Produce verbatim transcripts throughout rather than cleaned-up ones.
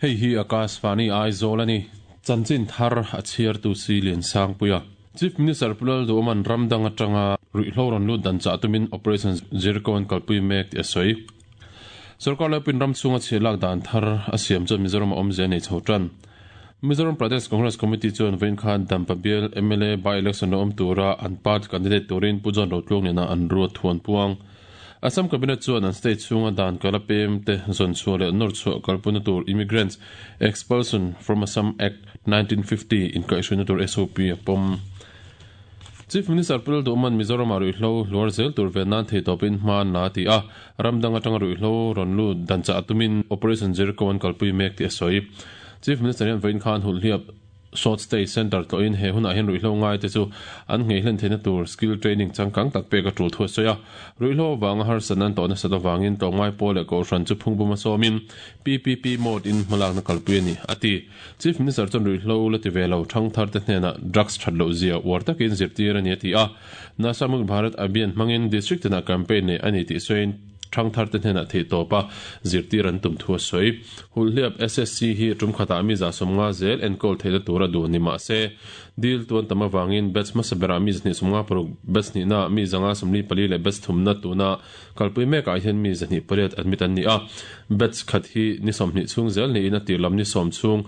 Hei hi Akashvani Aizawl ani. Chanchin thar a chhiar tu si lian sang puia. Chief Minister Pulal Duman ramdang atanga ruihhlo rawn lut dan chah tumin Operation Jericho an kalpui mek tih a sawi. Sarkar laipin ram chhunga chhiah lak dan thar a siam chuan Mizoram a awmzia nei chho tan. Mizoram Pradesh Congress Committee chuan vawiin khan Dampa Bial M L A by-election lo awm tura an party candidate turin Pu John Rotluang nena an ruat thuan puang. Assam Cabinet chuan an state chhunga dan kala pem te zawn chhuah leh nawr chhuah kalpuna tur Immigrants Expulsion from Assam Act nineteen fifty inkaihhruina tur S O P a pawm. Chief Minister Pulal Duman Mizoram a ruihhlo hluar zel tur ve nan thei tawpin hma na ti a, ramdang atanga ruihhlo rawn lut dan chah tumin Operation Jericho an kalpui mek tih a sawi. Chief Minister hian vawiin khan Hulhliap Short Stay Center tlawhin he hunah hian ruihhlo ngai te chu an nghei hlen theihna tur skill training changkang tak pek a tul thu a sawi a. Ruihhlo awanga harsatna an tawh nasat avangin tlawmngai pawl leh kohhran chu phungbum a sawmin P P P mode in hmalakna kalpui a ni a ti. Chief Minister chuan ruihhlo la ti ve lo thangthar te hnenah drugs that loh zia uar takin zirtir a ni a ti a. Nasha Mukt Bharat Abhiyan hmangin district tinah campaign nei a ni tih sawiin thangthar te hnenah theih tawpa zirtir an tum thu a sawi. Hulhliap S S C hi tum khatah mi za sawmnga zel enkawl theihna tura duh ni mah se dil tuan tam awangin batch hmasa berah mi zahnih sawmnga paruk, batch hnihna mi zanga sawmli pali leh batch thumna tuna kalpui mekah hian mi zahnih pariat admit an ni a. Batch khat hi ni sawmhnih chhung zel niin a tir lam ni sawm chhung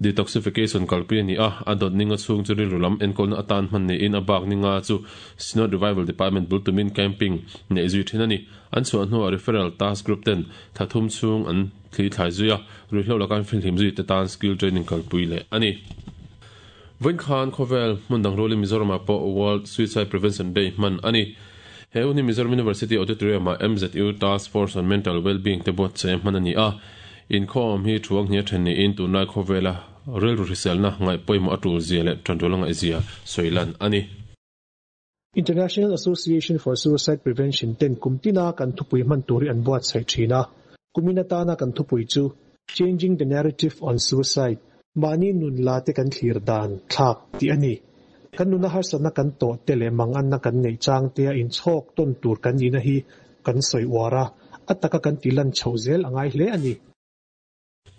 detoxification kalpui ani a, a dawt ninga chhung chu rilru lam enkawlna atan hman niin a bak ninga chu Synod Revival Department bul tumin camping nei zui thin ani. An chhuah hnuah referral task group ten thathum chhung an thli thlai zui a, ruihhlo lakan filhlim zui te tan skill training kalpui leh ani. Vawiin khan khawvel hmun dang rualin Mizoramah pawh World Suicide Prevention Day hman ani. He hun hi Mizoram University Auditorium ah M Z U Task Force on Mental Wellbeing te buatsaih hman ani a. Inkhawm hi thuang hnia then niin tunlai khawvela rilru hriselna ngaih pawimawh a tul zia leh tantul a ngaih zia sawilan ani. International Association for Suicide Prevention ten kumtina kan thupui hman turi an buatsaih thina. Kumina tana kan thupui chu Changing the Narrative on Suicide, mani nun la te kan thlir dan thlak ti ani. Kan nuna harsatna kan to te leh mang an na kan nei chang te a in chhawk ton tur kan ni na hi kan sawi uara ataka kan tilan chho zel angai hle ani.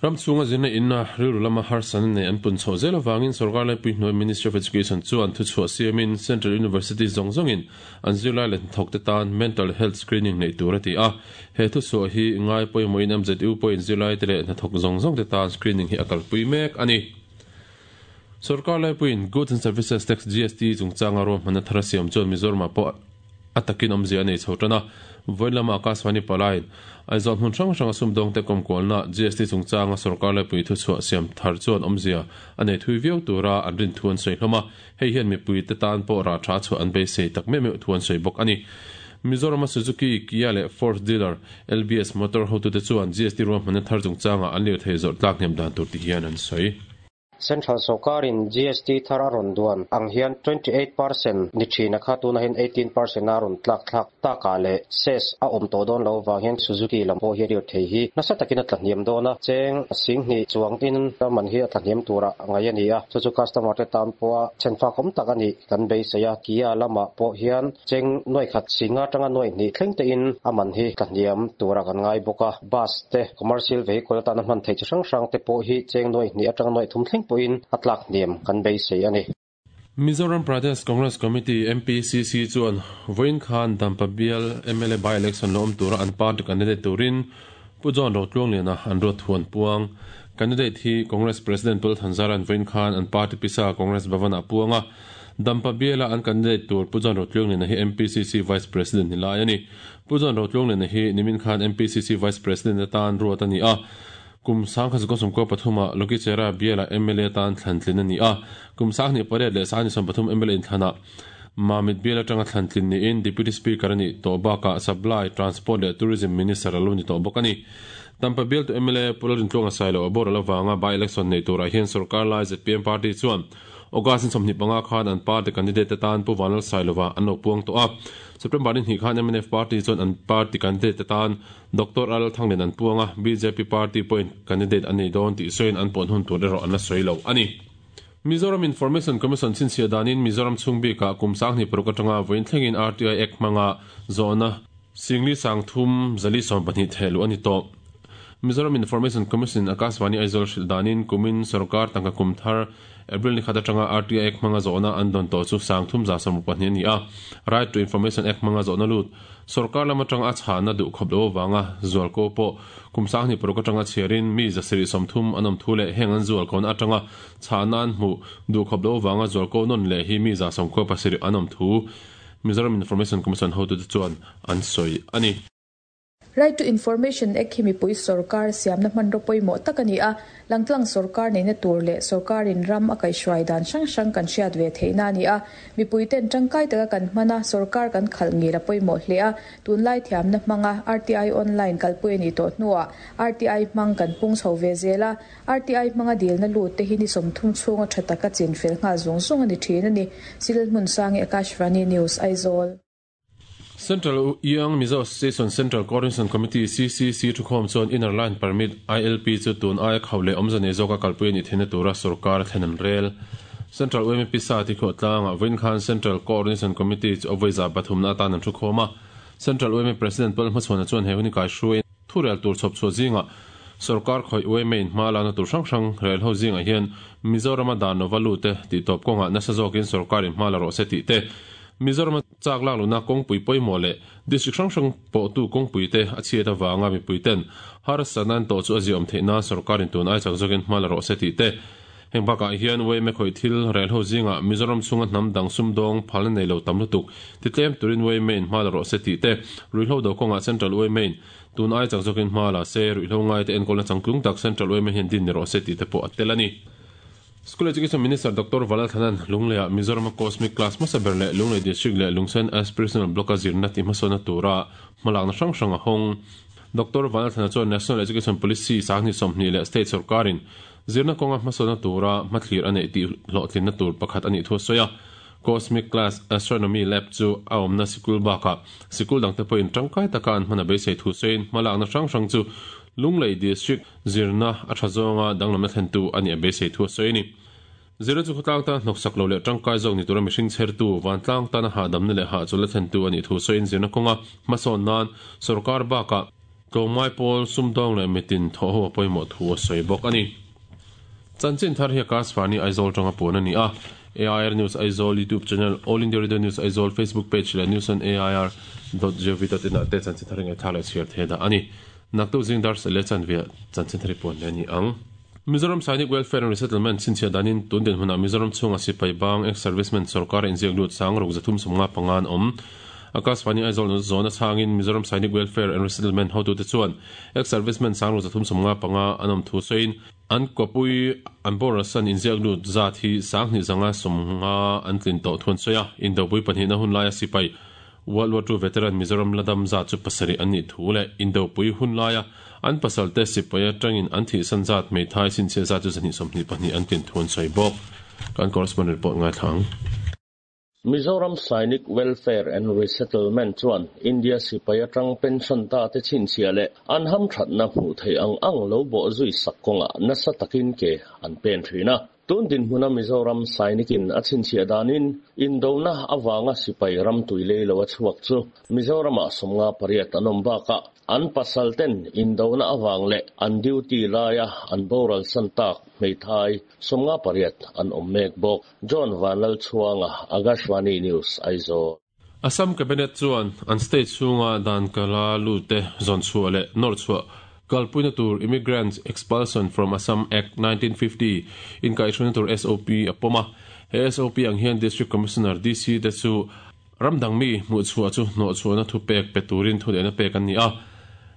Ram chunga zirna inna rilru lama harsan nei an pun chho zel awangin sarkar laipui hnuai Ministry of Education chuan thu chhuah siamin Central University zawng zawngin an zirlai leh thawk te tan mental health screening nei tur a ti a. He thu chhuah hi ngai pawimawhin M Z U pawhin zirlai te leh hnathawk zawng zawng te tan screening hi a kalpui mek ani. Sarkar laipuiin Goods and Services Tax G S T chungchanga ruahmanna thar a siam chuan Mizoramah pawh a takin awmzia a nei chho tan a. Vawiin lama Akashvani palain Aizawl hmun hrang hranga sumdawng te kawmkualna G S T chungchanga sarkar laipui thu chhuah siam thar chuan awmzia a nei thui viau tura an rin thu an sawi hlawm a. Hei hian mipui te tan pawh rah tha chhuah an beisei tak meuh meuh thu an sawi bawk ani. Mizoram Suzuki, Kia leh Ford dealer L B S Motor hotu te chuan G S T ruahmanna thar chungchanga an lir thei zawrh tlak hnem dan tur ti hian an sawi. Central Sarkarin G S T thar a rawn duan ang hian twenty-eight percent ni thina kha tuna hian eighteen percent a rawn tlak thlak taka leh cess a awm tawh dawn lo wang hian Suzuki lam pawh hi lir thei hi nasa takin a tlahniam dawn a, cheng singhnih chuang tin man hi a tlahniam tura ngai ani a. Chu chu customer te tan pawha chenfa awm tak ani kan beisei a. Kia lamah pawh hian cheng nuai khat singa tanga nuai hnih thleng te in a man hi tlahniam tura kan ngai bawk a. Bus te, commercial vehicle atana hman thei chi hrang hrang te pawh hi cheng nuai hnih atanga nuai thum thleng pawhin a tlak hniam kan beisei ani. Mizoram Pradesh Congress Committee M P C C chuan vawiin khan Dampa Bial M L A by election lo awm tura an party candidate turin Pu John Rotluang liana an ruat thuan puang. Candidate hi Congress President Pul Thanzaran vawiin khan an party pisa Congress Bhavana puanga. Dampa Biala an candidate tur Pu John Rotluang liana hi M P C C Vice President ni lai ani. Pu John Rotluang liana hi nimin khan M P C C Vice President atan ruat ani a. Kum sang kha sum ko pathuma Lokichera Biala M L A tan thlantlin ani a. Kum sang ni pariat leh sang ni som pathum M L A in thlana Mamit Biala tanga thlantlin ni in Deputy Speaker ani to baka Supply, Transport leh Tourism Minister alo ni to bawk ani. Dampa Bial tu M L A Pularin Tluanga Sailo abor lawanga by election nei tura hian sarkar lai Z P M party chuan August in sawmhnih panga khan an party candidate tan Pu Vanlal Sailova an lo puang tawh a. September ni hnih khan M N F party chuan an party candidate tan Doctor Al Thanglen an puanga. B J P party point candidate ani dawn tih sawiin an pawn hun tur erawh an la sawi lo ani. Mizoram Information Commission chinchhia danin Mizoram chhung bika kum sang hnih paruk atanga vawiin thlengin R T I Act hmanga zawhna singli sang thum zali sawm pahnih thehluh ani tawh. Mizoram Information Commission Akashvani Aizawl hrilh danin kumin sarkar tangka kum thar April ni khat atanga R T I Act hmanga zawhna an dawn tawh chu sangthum za sawmruk pahnih a ni a. Right to Information Act hmanga zawhna lut sarkar lam atanga a chhahna duh khawp lo awanga zualko pawh kum sanghnih paruk atanga chhiarin mi zasarih sawmthum an awm thu leh heng an zualkona atanga chhahna an hmuh duh khawp lo awanga zualko nawn leh hi mi za sawmkhuwa pasarih an awm thu Mizoram Information Commission hotute chuan an sawi a ni. Right to Information Act hi mipui sarkar siamna hmanraw pawimawh tak a ni a, langtlang sarkar neihna tur leh sarkarin ram a kaihhruai dan hrang hrang kan hriat ve theihna a ni a, mipui ten tangkai taka kan hmana sarkar kan khalh ngil a pawimawh hle a, tunlai thiamna hmanga R T I online kalpui a ni tawh hnuah R T I hmang kan pung chho ve zel a, R T I hmanga dilna lut te hi ni sawmthum chhunga tha taka chin fel nghal zawng zawng a ni thin a ni. Silal hmun sangi Akashvani News Aizawl. Central Young Mizo Association Central Coordination Committee C C C thukhawm chuan Inner Line Permit I L P chu tun aia khawle awmzane zawka kalpui ani theihna tura sarkar thlen an rel. Central U M P sa ti khawh tlanga vawiin khan Central Coordination Committee chu awaiza pathumna atan an thukhawm a. Central U M P President Paul Hmachhuana chuan he hun kai hruai thu rel tur chhawp chhuah zinga sarkar khawih U M A in hma lana tur hrang hrang rel ho zinga hian Mizorama dan nova lu te ti tawp kawnga nasa zawkin sarkar in hma la rawh se tih te Mizoram chak lak luna kawngpui pawimawh leh district hrang hrang pawh tu kawngpui te a chhiat awanga mipui ten harsanan tawh chu a ziawm theihna sarkarin tun ai chak zawkin hma la rawh se tih te heng bakah hian U M A khawih thil rel ho zinga Mizoram chhunga hnam dang sum dawng phalna nei lo tam lutuk ti tlem turin U M A in hma la rawh se tih te ruihhlo do kawngah Central U M A in tun ai chak zawkin hma la se ruihhlo ngai te enkawlna changtlung tak Central U M A hian din ni rawh se tih te pawh a tel a ni. School Education Minister Doctor Valalthanan Lungleia Mizoram Cosmic Class hmasaber leh Lunglei District leh Lungsen Aspirational Block a zirna ti hmasawna tura hmalakna hrang hrang a hawng. Doctor Valalthana chuan National Education Policy sanghnih sawmhnih leh State sarkarin zirna kawnga hmasawna tura hmathlir a neih tih hlawhtlinna tur pakhat a nih thu a sawi a. Cosmic Class Astronomy Lab chu a awmna sikul bakah sikul dangte pawhin tangkai taka an hman a beisei thu sawiin hmalakna hrang hrang chu Lunglei District zirna a tha zawnga danglamna thlentu a ni a beisei thu a sawi a ni. Zirna chu khawtlang tan hnawksak lo leh tangkai zawk ni tura mihring chhertu vantlang tana hahdamna leh hah chawlh thlentu a nih thu sawiin zirna kawnga hmasawn nan sarkar bakah tlawmngai pawl sumdawng leh mitin thawh ho a pawimawh thu a sawi bawk a ni. Chanchin thar hi Akashvani Aizawl tanga puan a ni a. A I R News Aizawl YouTube channel, All India Radio News Aizawl Facebook page leh news on A I R dot gov dot in ah te chanchin thar ngai thla leh chhiar thei dah a ni. Naktu zing dar le chanvia chanchin thar puan le ni ang. Mizoram Sainik Welfare and Resettlement chinchia danin tun din huna Mizoram chhunga sipai bang ex-servicemen sarkar inziak lut sang ruk zathum sawmnga pangan awm. Akashvani Aizawl zona changin Mizoram Sainik Welfare and Resettlement hotute chuan ex-servicemen sang ruk zathum sawmnga panga an awm thu sawiin an kopui an borasan inziak lut zat hi sanghnih zanga sawmnga an tlin tawh thuan sawi a. Indopui pahnihna hun laia sipai World War Two veteran Mizoram ladam za chu pasarih an nih thu leh Indopui hun laia an pasal te sipai atangin an thihsan zat hmeithai sinchhiat zat chu zahnih sawmhnih pahnih an tlin thuan sawi bawk. Kan correspondent report ngai thlang. Mizoram Sainik Welfare and Resettlement chuan India sipai atang pension ta te chinchhia leh an ham thatna hmuh thei ang ang lo bawh zui sak kawnga nasa takin ke an pen thin a. Tun din hmuna Mizoram Sainikin a chinchhia danin Indona awanga sipai ram tuilei lo a chhuak chu Mizorama sawmnga pariat an awm bakah an pasal ten Indona awang leh an duty laia an boral san tak hmeithai sawmnga pariat an awm mek bawk. John Vanlal Chhuanga, Akashvani News, Aizawl. Assam Cabinet chuan an state chhunga dan kala lu te zawn chhuah leh nawr chhuah kalpuina tur Immigrants Expulsion from Assam Act nineteen fifty in kaihhruaina tur S O P a pawm a. He S O P ang hian District Commissioner D C te chu ramdang mi hmuh chhuah chu hnawh chhuahna thu pek pe turin thu lehna pek an ni a.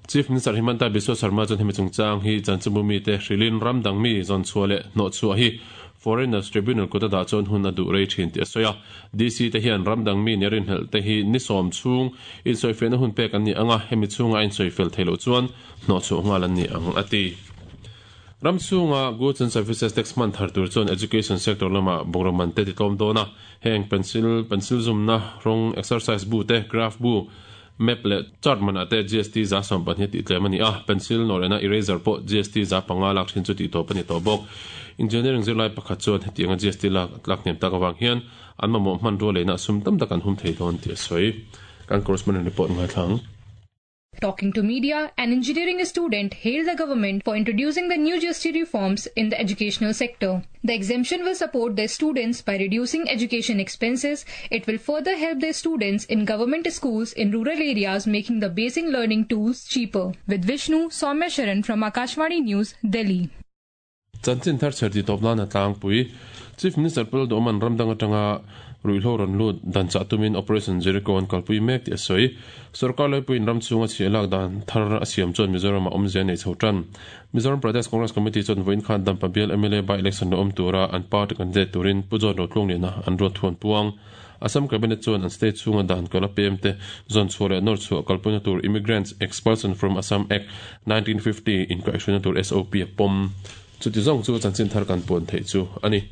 Chief Minister Himanta Biswa Sarma chuan hemi chungchang hi chanchimbu mi te hrilin ramdang mi zawn chhuah leh hnawh chhuah hi Foreigners Tribunal kut a dah chuan hun a duh rei thin tih a sawi a. D C te hian ramdang mi ni rin helh te hi ni sawm chhung insawifiahna hun pek an ni anga hemi chhunga insawi fel thei loh chuan hnawh chhuah nghal an ni ang a ti. Ram chhunga Goods and Services Tax man thar tur chuan education sector lama bungraw man te ti tlawm dawn a. Heng pencil, pencil zumna, rawng, exercise bu te, graph bu, map leh chart man ah te G S T za sawm pahnih tih tlem a ni a. Pencil nawrena eraser pawh G S T za panga lak thin chu tih tawp a ni tawh bawk. Engineering zirlai pakhat chuan hetianga G S T lak tlak hnem tak awang hian an mamawh hman rual lehna sum tam tak an hum thei dawn tih a sawi. Kan correspondent report ngai thlang. Talking to media, an engineering student hailed the government for introducing the new G S T reforms in the educational sector. The exemption will support their students by reducing education expenses. It will further help their students in government schools in rural areas, making the basic learning tools cheaper. With Vishnu, Soumya Sharan from Akashvani News, Delhi. Chanchin thar cherti topna na tlangpui Chief Minister Pu Lalduhoma'n ramdang atanga ruihhlo rawn lut dan chah tumin Operation Jericho an kalpui mek tih a sawi. Sorkar laipuiin ram chhunga chhiah lak dan thar a siam chuan Mizoram a awmzia nei chho tan. Mizoram Pradesh Congress Committee chuan vawiin khan Dampa Bial M L A by election lo awm tura an party candidate turin Pu John Rotlungliana an ruat thuan puang. Assam Cabinet chuan an state chhunga dan kal a pem te zawn chhuah leh nawr chhuah kalpuina tur Immigrants Expulsion from Assam Act nineteen fifty inkaihhruaina tur S O P a pawm. Chuti zawng chu chanchin thar kan puan theih chu a ni.